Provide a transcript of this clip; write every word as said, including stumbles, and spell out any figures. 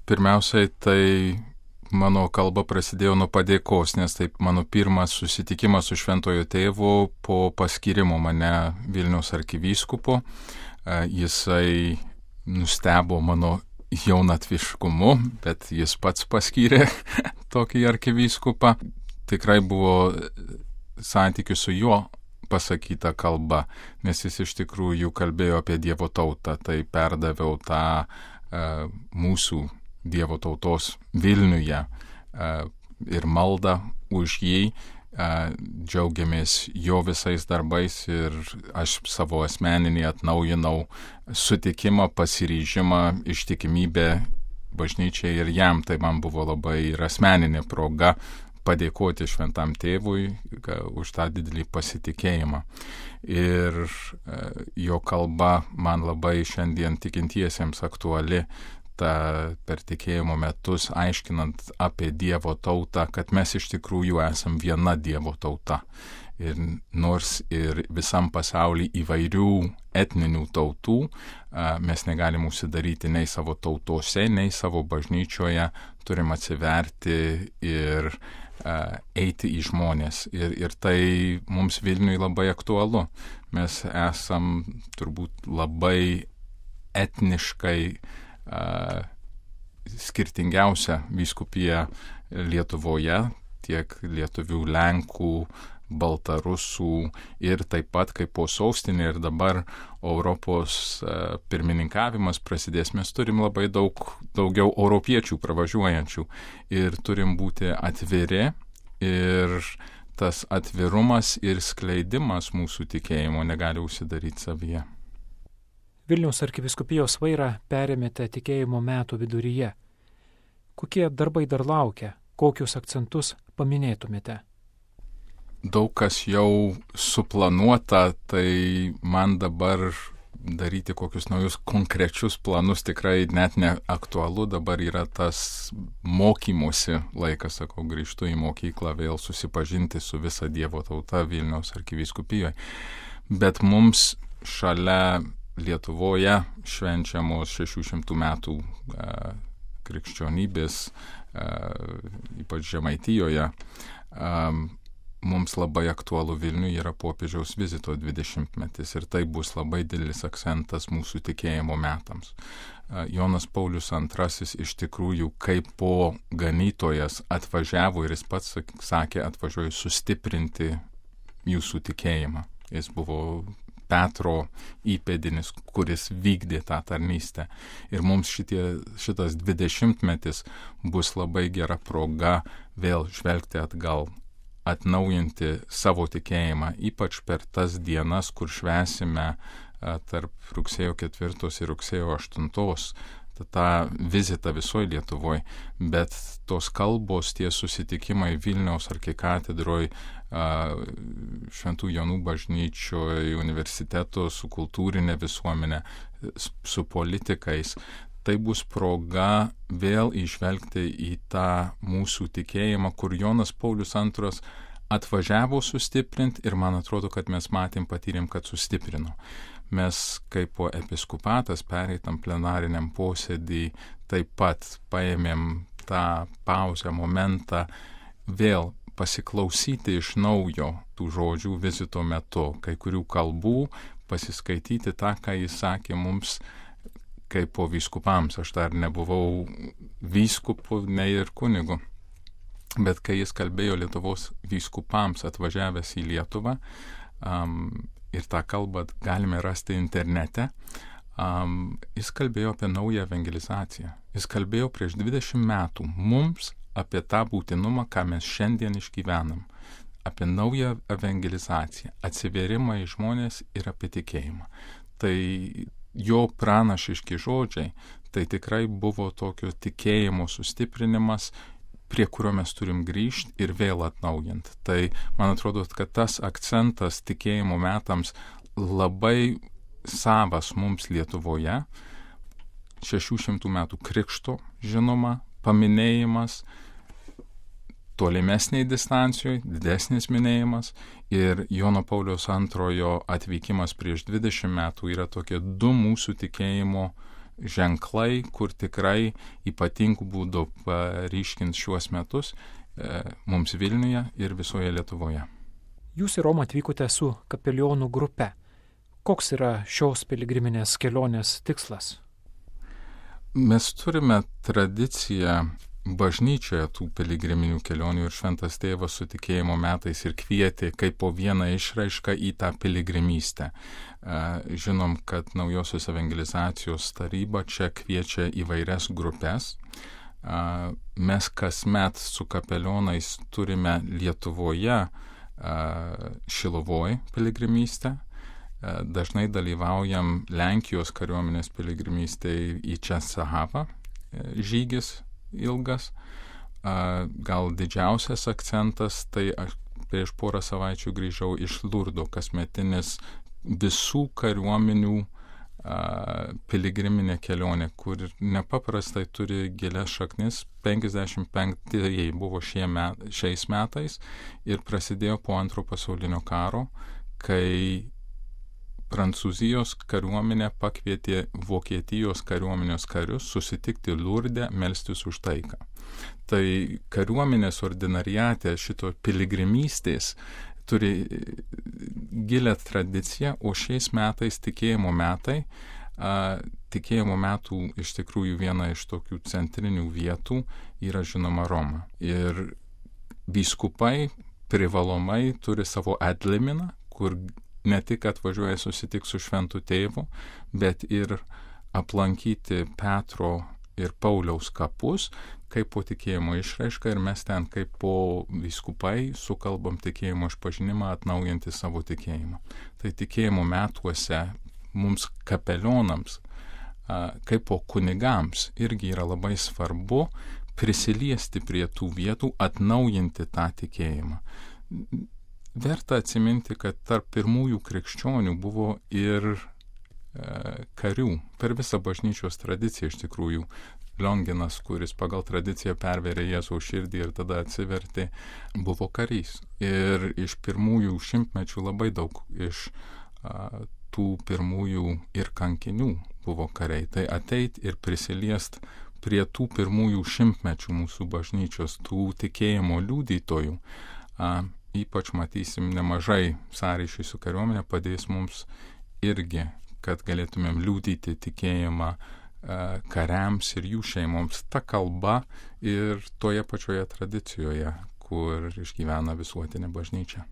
pirmiausiai tai mano kalba prasidėjo nuo padėkos, nes taip mano pirmas susitikimas su Šventojo Tėvu po paskyrimo mane Vilniaus arkivyskupu. Jisai nustebo mano jaunatviškumu, bet jis pats paskyrė tokį arkivyskupą. Tikrai buvo santykių su juo pasakyta kalba, nes jis iš tikrųjų kalbėjo apie Dievo tautą, tai perdaviau tą uh, mūsų Dievo tautos Vilniuje uh, ir maldą už jį, uh, džiaugiamės jo visais darbais ir aš savo asmeninį atnaujinau sutikimą, pasiryžimą, ištikimybę bažnyčiai ir jam. Tai man buvo labai ir asmeninė proga padėkoti Šventam Tėvui už tą didelį pasitikėjimą. Ir jo kalba man labai šiandien tikintiesiems aktuali, ta per tikėjimo metus aiškinant apie Dievo tautą, kad mes iš tikrųjų esam viena Dievo tauta. Ir nors ir visam pasauly įvairių etninių tautų, mes negalim užsidaryti nei savo tautose, nei savo bažnyčioje, turim atsiverti ir eiti į žmonės. Ir, ir tai mums Vilniui labai aktualu. Mes esam turbūt labai etniškai uh, skirtingiausia vyskupija Lietuvoje, tiek lietuvių, lenkų, baltarusų ir taip pat kaip po sostinė ir dabar Europos uh, pirmininkavimas prasidės, mes turim labai daug daugiau europiečių pravažiuojančių ir turim būti atviri ir tas atvirumas ir skleidimas mūsų tikėjimo negali užsidaryti savyje. Vilniaus arkivyskupijos vairą perėmėte tikėjimo metų viduryje. Kokie darbai dar laukia? Kokius akcentus paminėtumėte? Daug kas jau suplanuota, tai man dabar daryti kokius naujus konkrečius planus tikrai net neaktualu. Dabar yra tas mokymosi laikas, sakau, grįžtu į mokyklą vėl susipažinti su visa Dievo tauta Vilniaus arkivyskupijoje. Bet mums šalia Lietuvoje švenčiamos šešių šimtų metų e, krikščionybės, e, ypač Žemaitijoje, e, mums labai aktualu Vilniui yra popiežiaus vizito dvidešimtmetis ir tai bus labai didelis akcentas mūsų tikėjimo metams. Jonas Paulius antrasis iš tikrųjų kaip po ganytojas atvažiavo ir jis pats sakė, atvažiuoju sustiprinti jūsų tikėjimą. Jis buvo Petro įpėdinis, kuris vykdė tą tarnystę. Ir mums šitie, šitas dvidešimtmetis bus labai gera proga vėl žvelgti atgal, atnaujinti savo tikėjimą, ypač per tas dienas, kur švęsime tarp rugsėjo ketvirtos ir rugsėjo aštuntos tą vizitą visoje Lietuvoje, bet tos kalbos, tie susitikimai Vilniaus arkikatedroje, Šventų Jonų bažnyčioje, universiteto, su kultūrinė visuomenė, su politikais, tai bus proga vėl išvelgti į tą mūsų tikėjimą, kur Jonas Paulius antras atvažiavo sustiprinti ir man atrodo, kad mes matėm, patyrėm, kad sustiprino. Mes kaip po episkopatas pereitam plenariniam posėdį taip pat paėmėm tą pauzę, momentą vėl pasiklausyti iš naujo tų žodžių vizito metu, kai kurių kalbų, pasiskaityti tą, ką jis sakė mums kaip po vyskupams. Aš dar nebuvau vyskupu, nei ir kunigu. Bet kai jis kalbėjo Lietuvos vyskupams atvažiavęs į Lietuvą, um, ir tą kalbą galime rasti internete, um, jis kalbėjo apie naują evangelizaciją. Jis kalbėjo prieš dvidešimt metų mums apie tą būtinumą, ką mes šiandien išgyvenam, apie naują evangelizaciją, atsivėrimą į žmonės ir apie tikėjimą. Tai jo pranašiški žodžiai, tai tikrai buvo tokio tikėjimo sustiprinimas, prie kurio mes turim grįžti ir vėl atnaujinti. Tai man atrodo, kad tas akcentas tikėjimo metams labai savas mums Lietuvoje, šešių šimtų metų krikšto, žinoma, paminėjimas, tolimesniai distancijoje, didesnis minėjimas ir Jono Pauliaus antrojo atvykimas prieš dvidešimt metų yra tokie du mūsų tikėjimo ženklai, kur tikrai ypatingų būdų paryškins šiuos metus e, mums Vilniuje ir visoje Lietuvoje. Jūs į Romą atvykote su kapelionų grupe. Koks yra šios piligriminės kelionės tikslas? Mes turime tradiciją bažnyčioje tų piligriminių kelionių ir Šventas Tėvas su tikėjimo metais ir kvietė kaip po vieną išraišką į tą piligrimystę. Žinom, kad Naujosios evangelizacijos taryba čia kviečia įvairias grupės. Mes kasmet su kapelionais turime Lietuvoje Šiluvoj piligrimystę. Dažnai dalyvaujam Lenkijos kariuomenės piligrimystėje į Česahavą, žygis ilgas. Gal didžiausias akcentas, tai aš prieš porą savaičių grįžau iš Lurdo, kasmetinis visų kariuomenių piligriminė kelionė, kur nepaprastai turi gilias šaknis. penkiasdešimt penktieji buvo šie met, šiais metais ir prasidėjo po antro pasaulinio karo, kai Prancūzijos kariuomenė pakvietė Vokietijos kariuomenės karius susitikti Lurde, melstis už taiką. Tai kariuomenės ordinariate šito piligrimystės turi gilę tradiciją, o šiais metais tikėjimo metai, a, tikėjimo metų iš tikrųjų viena iš tokių centrinių vietų yra žinoma Roma. Ir vyskupai privalomai turi savo adliminą, kur ne tik atvažiuoja susitikti su Šventu Tėvu, bet ir aplankyti Petro ir Pauliaus kapus, kaip po tikėjimo išraiška, ir mes ten kaip po vyskupai sukalbam tikėjimo išpažinimą, atnaujinti savo tikėjimą. Tai tikėjimo metuose mums kapelionams, kaip po kunigams, irgi yra labai svarbu prisiliesti prie tų vietų, atnaujinti tą tikėjimą. Verta atsiminti, kad tarp pirmųjų krikščionių buvo ir e, karių. Per visą bažnyčios tradiciją iš tikrųjų Lionginas, kuris pagal tradiciją perverė Jėzaus širdį ir tada atsivertė, buvo karys. Ir iš pirmųjų šimtmečių labai daug iš a, tų pirmųjų ir kankinių buvo kariai. Tai ateit ir prisiliest prie tų pirmųjų šimtmečių mūsų bažnyčios, tų tikėjimo liudytojų. A, Ypač matysim nemažai sąryšių su kariuomenė, padės mums irgi, kad galėtumėm liudyti tikėjimą e, kariams ir jų šeimoms ta kalba ir toje pačioje tradicijoje, kur išgyvena visuotinė bažnyčia.